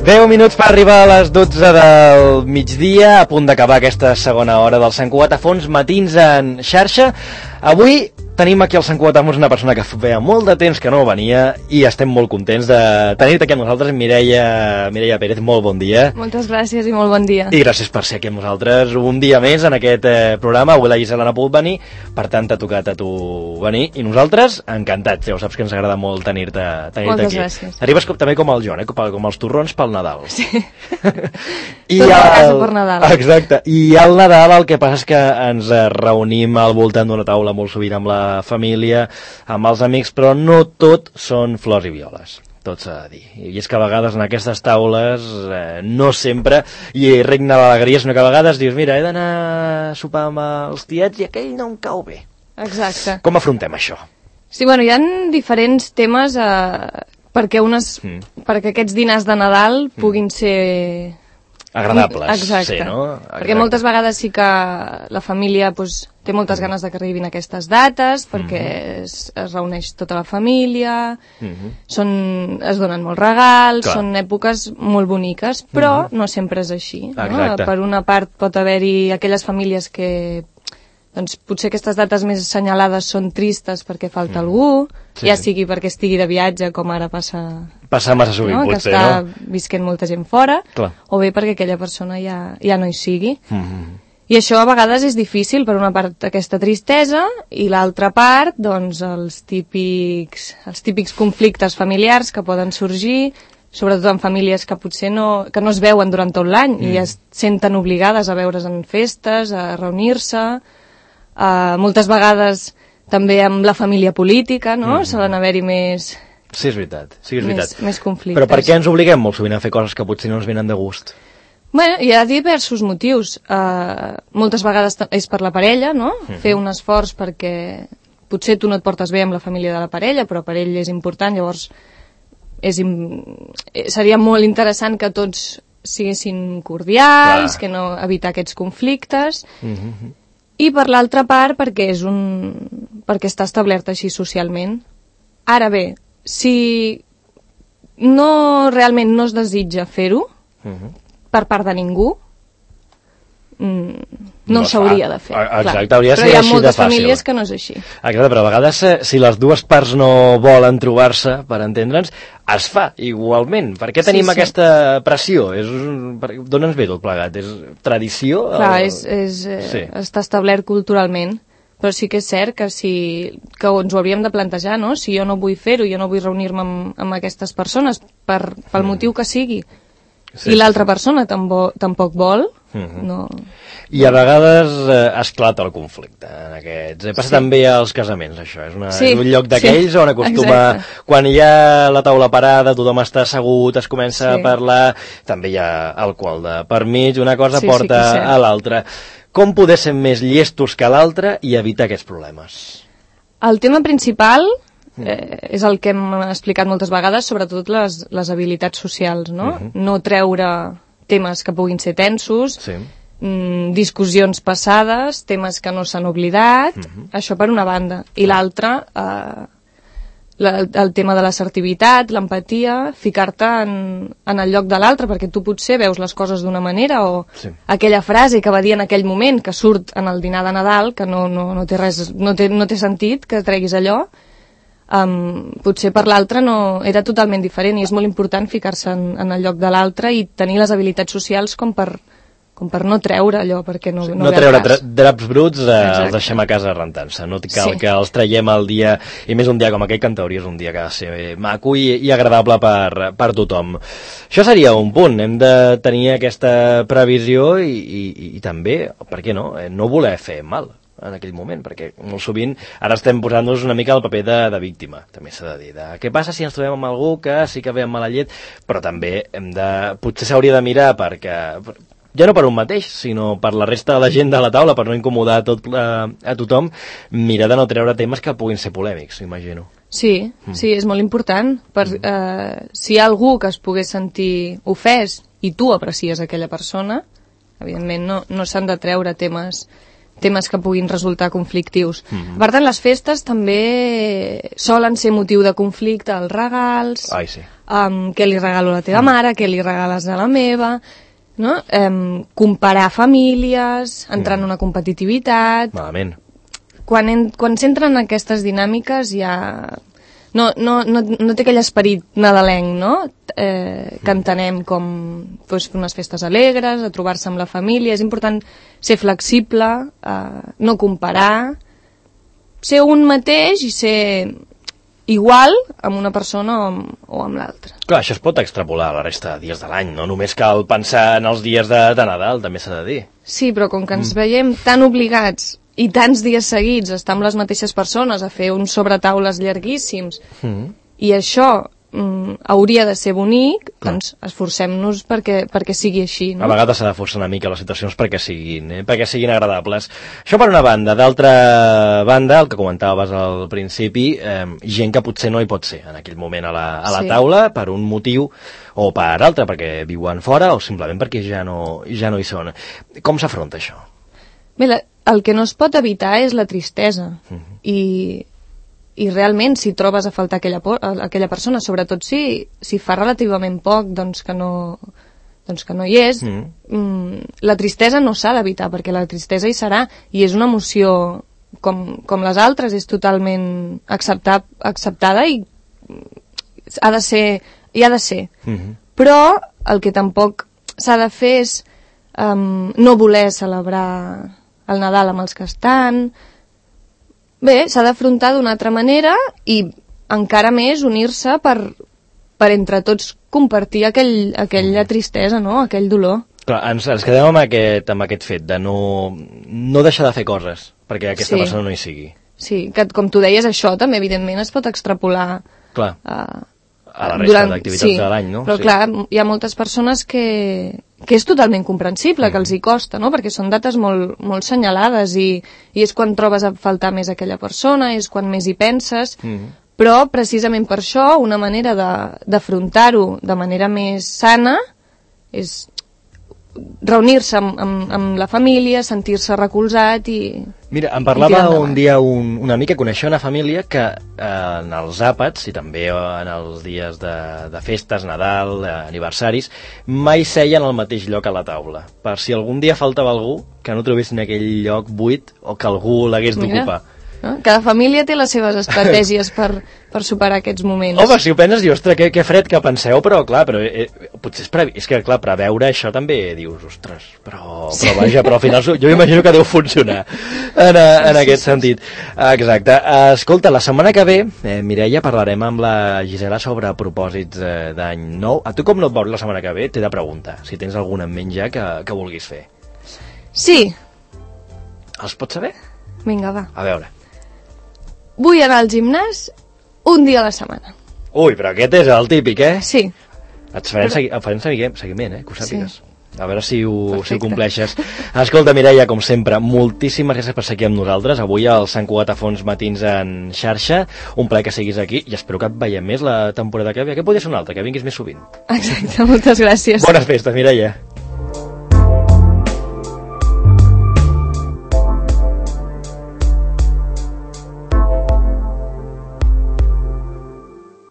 10 minuts per arribar a les 12 del migdia, a punt d'acabar aquesta segona hora del Sant Cugat a Fons, matins en xarxa. Avui tenim aquí al Sant Cugat a Fons una persona que feia molt de temps que no venia i estem molt contents de tenir-te aquí amb nosaltres, Mireia Pérez, molt bon dia. Moltes gràcies i molt bon dia. I gràcies per ser aquí amb nosaltres un dia més en aquest programa. Avui la Gisela no ha pogut venir, per tant t'ha tocat a tu venir i nosaltres encantats, ja ho saps que ens agrada molt tenir-te Moltes aquí. Gràcies. Arribes també com el Joan, com els torrons pel Nadal. Sí. I tot a casa per Nadal. Exacte. I al Nadal el que passa és que ens reunim al voltant d'una taula molt sovint amb la família, amb els amics, però no tot són flors i violes. Tot s'ha de dir. I és que a vegades en aquestes taules no sempre hi regna l'alegria, sinó que a vegades dius, mira, he d'anar a sopar amb els tiets i aquell no em cau bé. Exacte. Com afrontem això? Sí, bueno, hi ha diferents temes perquè aquests dinars de Nadal puguin ser agradables. Exacte. Sí, no? Exacte. Perquè moltes vegades sí que la família té moltes ganes de que arribin aquestes dates, perquè es reuneix tota la família, es donen molts regals, Clar. són èpoques molt boniques, però no sempre és així. No? Exacte. Per una part pot haver-hi aquelles famílies que doncs potser aquestes dates més assenyalades són tristes perquè falta algú, sigui perquè estigui de viatge, com ara passa massa sovint, que potser, està no? visquent molta gent fora, Clar. o bé perquè aquella persona ja no hi sigui. I això a vegades és difícil, per una part aquesta tristesa, i l'altra part, doncs, els típics conflictes familiars que poden sorgir, sobretot en famílies que potser no es veuen durant tot l'any i es senten obligades a veure's en festes, a reunir-se, moltes vegades també amb la família política, no? Solen haver-hi més... Sí, és veritat. Més conflictes. Però per què ens obliguem molt sovint a fer coses que potser no ens venen de gust? Bueno, hi ha diversos motius. Moltes vegades és per la parella, no? Fer un esforç perquè potser tu no et portes bé amb la família de la parella, però per ell és important, llavors seria molt interessant que tots siguessin cordials, que no evitar aquests conflictes. I per l'altra part perquè està establert així socialment. Ara bé, si realment no es desitja fer-ho per part de ningú, no s'hauria de fer. Exacte, hauria de ser però hi ha així de moltes fàcil. famílies que no és així. Exacte, però a vegades si les dues parts no volen trobar-se, per entendre'ns, es fa igualment. Per què tenim aquesta pressió? D'on ens ve tot plegat? És tradició? Clar, està establert culturalment, però sí que és cert que ens ho hauríem de plantejar, no? Si jo no vull fer-ho, jo no vull reunir-me amb aquestes persones pel motiu que sigui, i l'altra persona tampoc vol, no... I a vegades esclata el conflicte en aquests. Passa també als casaments, això. És un lloc d'aquells on acostuma... Quan hi ha la taula parada, tothom està assegut, es comença a parlar, també hi ha alcohol de per mig, una cosa porta a l'altra. Com poder ser més llestos que l'altre i evitar aquests problemes? El tema principal és el que hem explicat moltes vegades, sobretot les habilitats socials, no? No treure temes que puguin ser tensos, discussions passades, temes que no s'han oblidat, això per una banda. I l'altra, el tema de l'assertivitat, l'empatia, ficar-te en el lloc de l'altre, perquè tu potser veus les coses d'una manera, o aquella frase que va dir en aquell moment, que surt en el dinar de Nadal, que no té sentit que treguis allò, potser per l'altre era totalment diferent, i és molt important ficar-se en el lloc de l'altre i tenir les habilitats socials com per no treure allò, perquè no treure draps bruts, els deixem a casa rentant-se, no cal que els traiem al dia, i més un dia com aquell, que en teoria és un dia que ha de ser maco i agradable per tothom. Això seria un punt, hem de tenir aquesta previsió i també, per què no voler fer mal en aquell moment, perquè molt sovint ara estem posant-nos una mica al paper de víctima, també s'ha de dir, què passa si ens trobem amb algú que sí que ve amb mala llet, però també potser s'hauria de mirar perquè, ja no per un mateix, sinó per la resta de la gent de la taula, per no incomodar a tothom, mirar de no treure temes que puguin ser polèmics, imagino. Sí, és molt important. Si hi ha algú que es pogués sentir ofès i tu aprecies aquella persona, evidentment no s'han de treure temes temes que puguin resultar conflictius. Per tant, les festes també solen ser motiu de conflicte, els regals, què li regalo a la teva mare, què li regales a la meva, no? Comparar famílies, entrar en una competitivitat... Malament. Quan s'entren en aquestes dinàmiques ja... No té aquell esperit nadalenc, no? Que entenem com fer unes festes alegres, a trobar-se amb la família. És important ser flexible, no comparar, ser un mateix i ser igual amb una persona o amb l'altra. Clar, això es pot extrapolar a la resta de dies de l'any, no? Només cal pensar en els dies de Nadal, també s'ha de dir. Sí, però com que ens veiem tan obligats i tants dies seguits estar amb les mateixes persones a fer uns sobretaules llarguíssims i això hauria de ser bonic, doncs esforcem-nos perquè sigui així, no? A vegades s'ha de forçar una mica les situacions perquè siguin agradables. Això per una banda. D'altra banda, el que comentaves al principi, gent que potser no hi pot ser en aquell moment a la taula per un motiu o per altre, perquè viuen fora o simplement perquè ja no hi són. Com s'afronta això? Bé, el que no es pot evitar és la tristesa i realment si trobes a faltar aquella persona, sobretot si fa relativament poc doncs que no hi és, la tristesa no s'ha d'evitar perquè la tristesa hi serà i és una emoció com les altres, és totalment acceptada i ha de ser. Però el que tampoc s'ha de fer és no voler celebrar el Nadal amb els que estan. Bé, s'ha d'afrontar d'una altra manera i encara més unir-se per entre tots compartir aquella tristesa, no? Aquell dolor. Clar, ens quedem amb aquest fet de no deixar de fer coses perquè aquesta persona no hi sigui. Sí, que com tu deies, això també evidentment es pot extrapolar a la resta d'activitats de l'any, no? Però clar, hi ha moltes persones que és totalment comprensible, que els hi costa, no? Perquè són dates molt, molt senyalades i és quan trobes a faltar més aquella persona, és quan més hi penses, però precisament per això una manera d'afrontar-ho de manera més sana és reunir-se amb la família, sentir-se recolzat i... Mira, em parlava un dia un amic que coneixia una família que en els àpats i també en els dies de festes, Nadal, aniversaris, mai seien al mateix lloc a la taula. Per si algun dia faltava algú, que no trobessin aquell lloc buit o que algú l'hagués d'ocupar. Cada família té les seves estratègies per superar aquests moments. Home, si ho penses, dius, ostres, que fred que penseu, però clar, potser és que clar, preveure això també dius, ostres, però vaja, però al final jo imagino que deu funcionar en aquest sentit. Exacte. Escolta, la setmana que ve, Mireia, parlarem amb la Gisela sobre propòsits d'any nou. A tu com no et veus la setmana que ve? T'he de preguntar, si tens algun en ment ja que vulguis fer. Sí. Els pots saber? Vinga, va. A veure. Vull anar al gimnàs un dia a la setmana. Ui, però aquest és el típic, Sí. Et farem seguiment, que ho sàpigues. A veure si ho compleixes. Escolta, Mireia, com sempre, moltíssimes gràcies per ser aquí amb nosaltres. Avui al Sant Cugat a Fons Matins en xarxa. Un plaer que siguis aquí i espero que et veiem més la temporada que ve. Que podria ser una altra, que vinguis més sovint. Exacte, moltes gràcies. Bones festes, Mireia.